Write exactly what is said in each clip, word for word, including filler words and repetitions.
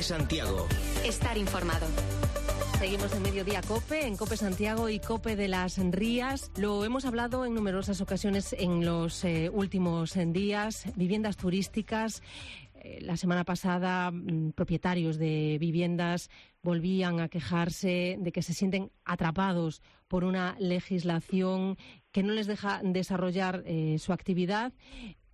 COPE Santiago. Estar informado. Seguimos en Mediodía COPE, en COPE Santiago y COPE de las Rías. Lo hemos hablado en numerosas ocasiones en los eh, últimos días. Viviendas turísticas. Eh, la semana pasada, mm, propietarios de viviendas volvían a quejarse de que se sienten atrapados por una legislación que no les deja desarrollar eh, su actividad.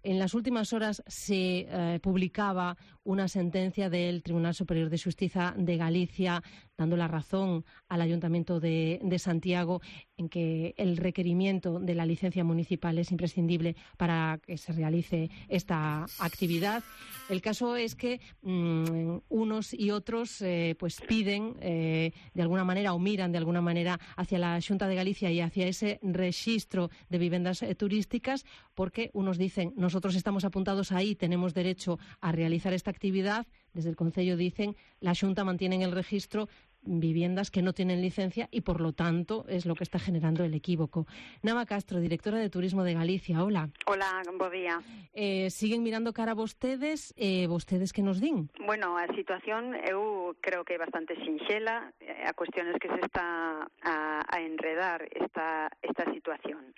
En las últimas horas se eh, publicaba una sentencia del Tribunal Superior de Justicia de Galicia dando la razón al Ayuntamiento de, de Santiago en que el requerimiento de la licencia municipal es imprescindible para que se realice esta actividad. El caso es que mmm, unos y otros eh, pues piden eh, de alguna manera o miran de alguna manera hacia la Xunta de Galicia y hacia ese registro de viviendas eh, turísticas, porque unos dicen nosotros estamos apuntados ahí, tenemos derecho a realizar esta actividad. Desde el Concello dicen la Xunta mantiene en el registro viviendas que no tienen licencia y, por lo tanto, es lo que está generando el equívoco. Nava Castro, directora de Turismo de Galicia. Hola. Hola, bo día. Eh, siguen mirando cara a vostedes, eh, vostedes que nos din? Bueno, a situación eu creo que é bastante sinxela, a cuestión es que se está a, a enredar esta, esta situación.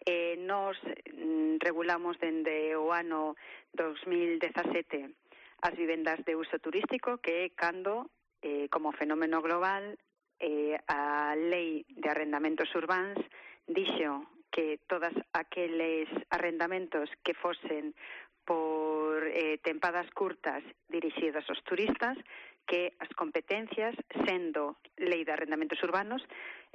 Eh, nos mm, regulamos dende o ano dos mil dezasete as vivendas de uso turístico, que é cando Eh, como fenómeno global, eh, a Lei de Arrendamentos Urbáns dixo que todas aqueles arrendamentos que fosen por eh, tempadas curtas dirixidas aos turistas, que as competencias, sendo Lei de Arrendamentos Urbanos,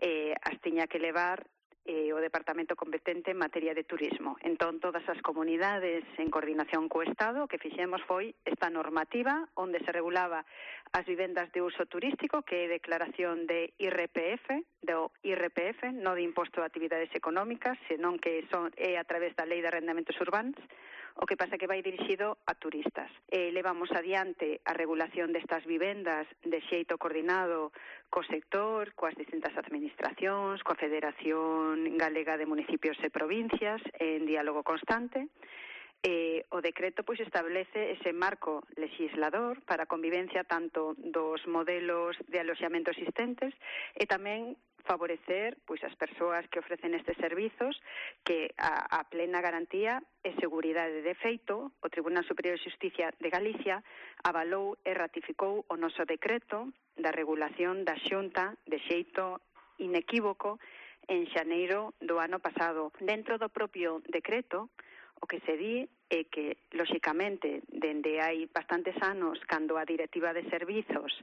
eh, as tiña que levar eh, o departamento competente en materia de turismo. Entón, todas as comunidades en coordinación co Estado, o que fixemos foi esta normativa onde se regulaba as vivendas de uso turístico, que é declaración de I R P F, do I R P F, non de imposto de actividades económicas, senón que son, é a través da Lei de Arrendamentos Urbans, o que pasa que vai dirixido a turistas. Eh, levamos adiante a regulación destas vivendas de xeito coordinado co sector, coas distintas administracións, coa Federación Galega de Municipios e Provincias, en diálogo constante. Eh, o decreto pois establece ese marco legislador para a convivencia tanto dos modelos de aloxamento existentes e tamén favorecer pois as persoas que ofrecen estes servizos, que a, a plena garantía e seguridade. De feito, o Tribunal Superior de Justicia de Galicia avalou e ratificou o noso decreto da regulación da Xunta de xeito inequívoco en xaneiro do ano pasado. Dentro do propio decreto, o que se di é que, lóxicamente, dende hai bastantes anos, cando a Directiva de Servizos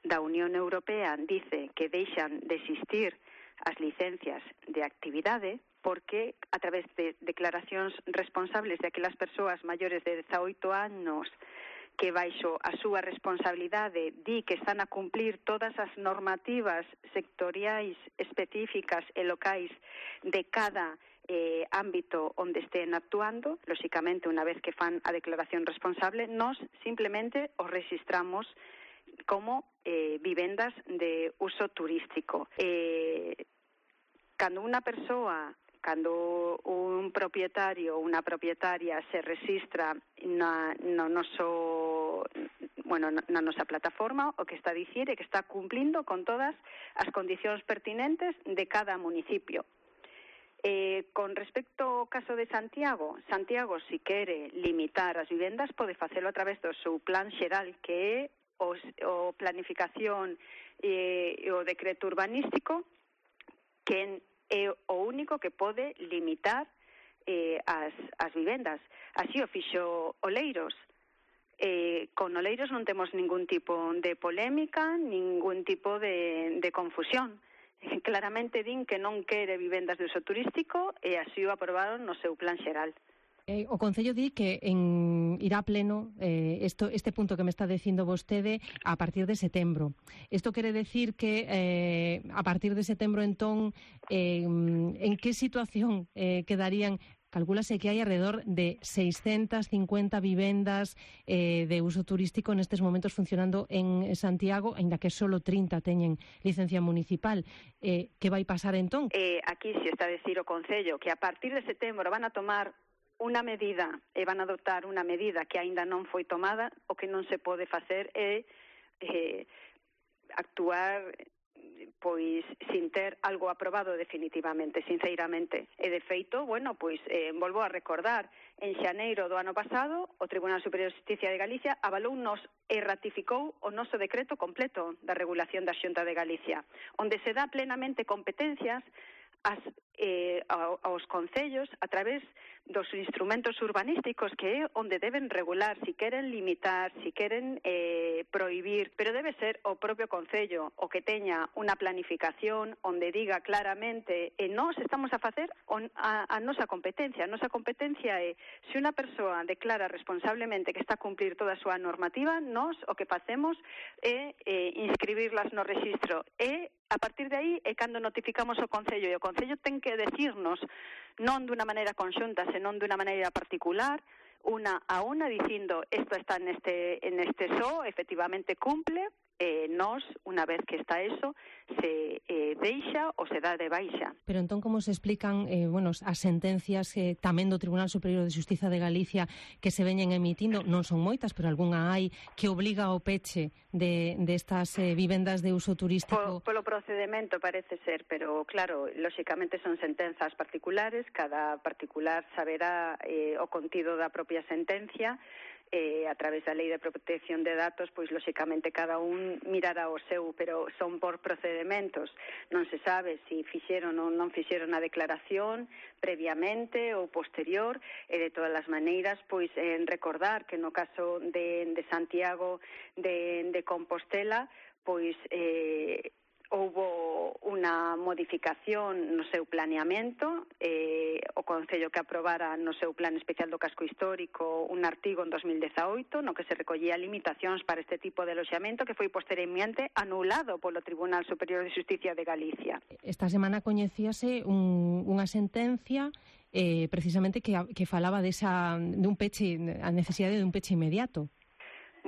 da Unión Europea dice que deixan de existir as licencias de actividade, porque a través de declaracións responsables de aquelas persoas maiores de dezaoito anos que baixo a súa responsabilidade di que están a cumplir todas as normativas sectoriais específicas e locais de cada eh, ámbito onde estén actuando, lóxicamente, unha vez que fan a declaración responsable, nos simplemente os registramos como eh, vivendas de uso turístico. Eh, cando unha persoa, cando un propietario ou unha propietaria se registra na, no noso, bueno, na nosa plataforma, o que está a dicir é que está cumplindo con todas as condicións pertinentes de cada municipio. Eh, con respecto ao caso de Santiago, Santiago, si quere limitar as vivendas, pode facelo a través do seu plan xeral, que é o, o planificación e eh, o decreto urbanístico, que é o único que pode limitar eh, as, as vivendas. Así o fixo Oleiros. Eh, con Oleiros non temos ningún tipo de polémica, ningún tipo de, de confusión. Claramente din que non quere vivendas de uso turístico e así o aprobaron no seu plan xeral. Eh, o Concello di que en, irá a pleno eh, esto, este punto que me está dicindo vostede a partir de setembro. Isto quere decir que eh, a partir de setembro, entón, eh, en que situación eh, quedarían? Calcúlase que hai alrededor de seiscentas cincuenta vivendas eh, de uso turístico nestes momentos funcionando en Santiago, aínda que solo trinta teñen licencia municipal. Eh, que vai pasar entón? Eh, aquí se está a decir o Concello que a partir de setembro van a tomar unha medida e van a adoptar unha medida que aínda non foi tomada. O que non se pode facer é eh, actuar pois sin ter algo aprobado definitivamente, sinceramente. E de feito, bueno, pois eh, volvo a recordar, en xaneiro do ano pasado o Tribunal Superior de Xusticia de Galicia avalounos e ratificou o noso decreto completo da regulación da Xunta de Galicia, onde se dá plenamente competencias as, eh, aos concellos a través dos instrumentos urbanísticos, que é onde deben regular, si queren limitar, si queren eh, prohibir, pero debe ser o propio concello o que teña unha planificación onde diga claramente e nós estamos a facer a, a nosa competencia. A nosa competencia é, se unha persoa declara responsablemente que está a cumplir toda a súa normativa, nós o que facemos é eh, inscribirlas no rexistro e a partir de aí é cando notificamos o Concello, e o Concello ten que decirnos non dunha maneira conxunta, senón dunha maneira particular, unha a unha, dicindo isto está neste, neste só, efectivamente cumple, e nós, unha vez que está eso, se eh, deixa ou se dá de baixa. Pero entón, como se explican eh, bueno, as sentencias eh, tamén do Tribunal Superior de Xustiza de Galicia que se veñen emitindo, non son moitas, pero algunha hai, que obliga ao peche de, de estas eh, vivendas de uso turístico? Po, polo procedimento parece ser, pero claro, lóxicamente son sentenzas particulares, cada particular saberá eh, o contido da propia sentencia, Eh, a través da Lei de Protección de Datos, pois lóxicamente cada un mirará o seu, pero son por procedimentos. Non se sabe se si fixeron ou non fixeron a declaración previamente ou posterior, e de todas as maneiras, pois en recordar que no caso de, de Santiago de, de Compostela, pois eh, houbo unha modificación no seu planeamento, eh, o Concello que aprobara no seu plan especial do casco histórico un artigo en dos mil dezaoito no que se recollía limitacións para este tipo de aloxamento que foi posteriormente anulado polo Tribunal Superior de Xusticia de Galicia. Esta semana coñecíase un, unha sentencia eh, precisamente que, que falaba desa, dun peche, a necesidade dun peche inmediato.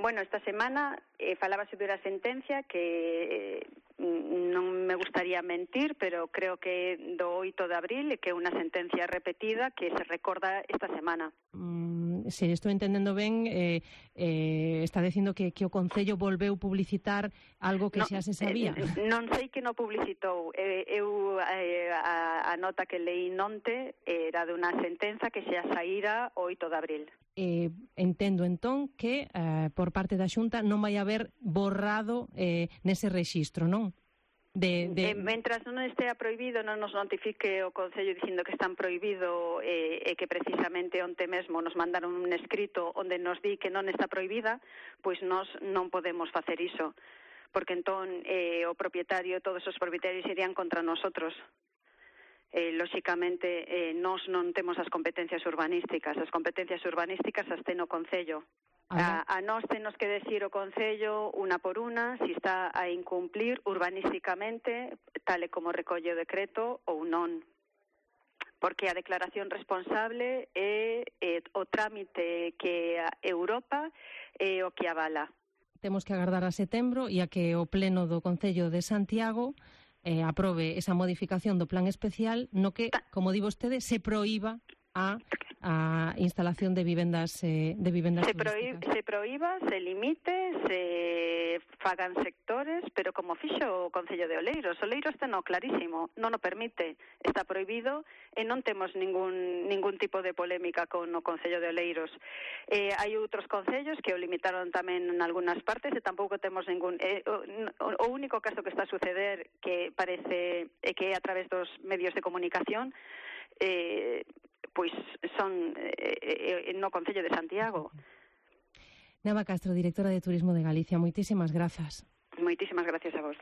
Bueno, esta semana eh, falaba sobre a sentencia que eh, non me gustaría mentir, pero creo que do oito de abril, que é unha sentencia repetida que se recorda esta semana. Mm, se estou entendendo ben, eh, eh, está dicindo que, que o Concello volveu publicitar algo que no, xa se sabía. Eh, non sei que non publicitou. Eh, eu eh, a, a nota que leí nonte era de unha sentenza que xa saíra o oito de abril. Eh, entendo entón que eh, por parte da Xunta non vai haber borrado eh, nese rexistro, non? De, de... Eh, mentras non estea prohibido, non nos notifique o Concello dicindo que están prohibido e eh, eh, que precisamente onte mesmo nos mandaron un escrito onde nos di que non está prohibida, pois nós non podemos facer iso, porque entón eh, o propietario, todos os propietarios irían contra nosotros. Eh, lóxicamente, eh, nós non temos as competencias urbanísticas. As competencias urbanísticas as ten o Concello. A, a nós tenos que decir o Concello, unha por unha, si está a incumplir urbanísticamente, tal e como recolle o decreto, ou non. Porque a declaración responsable é, é o trámite que a Europa é o que avala. Temos que agardar a setembro e a que o Pleno do Concello de Santiago Eh, aprobe esa modificación do plan especial no que, como di vostede, se proíba a, a instalación de vivendas eh, de vivendas se, prohí, se proíba, se limite, se fagan sectores, pero como fixo o Concello de Oleiros. Oleiros ten o clarísimo, non o permite, está prohibido e non temos ningún ningún tipo de polémica con o Concello de Oleiros. Eh, hai outros concellos que o limitaron tamén en algunhas partes e tampouco temos ningún... Eh, o, o único caso que está a suceder que parece eh, que é a través dos medios de comunicación eh, pois son eh, no Concello de Santiago. Nava Castro, directora de Turismo de Galicia, moitísimas grazas. Moitísimas gracias a vos.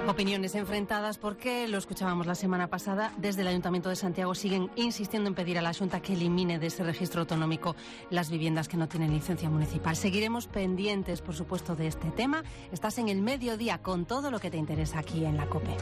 Opiniones enfrentadas porque, lo escuchábamos la semana pasada, desde el Ayuntamiento de Santiago siguen insistiendo en pedir a la Xunta que elimine de ese registro autonómico las viviendas que no tienen licencia municipal. Seguiremos pendientes, por supuesto, de este tema. Estás en el mediodía con todo lo que te interesa aquí en la COPE.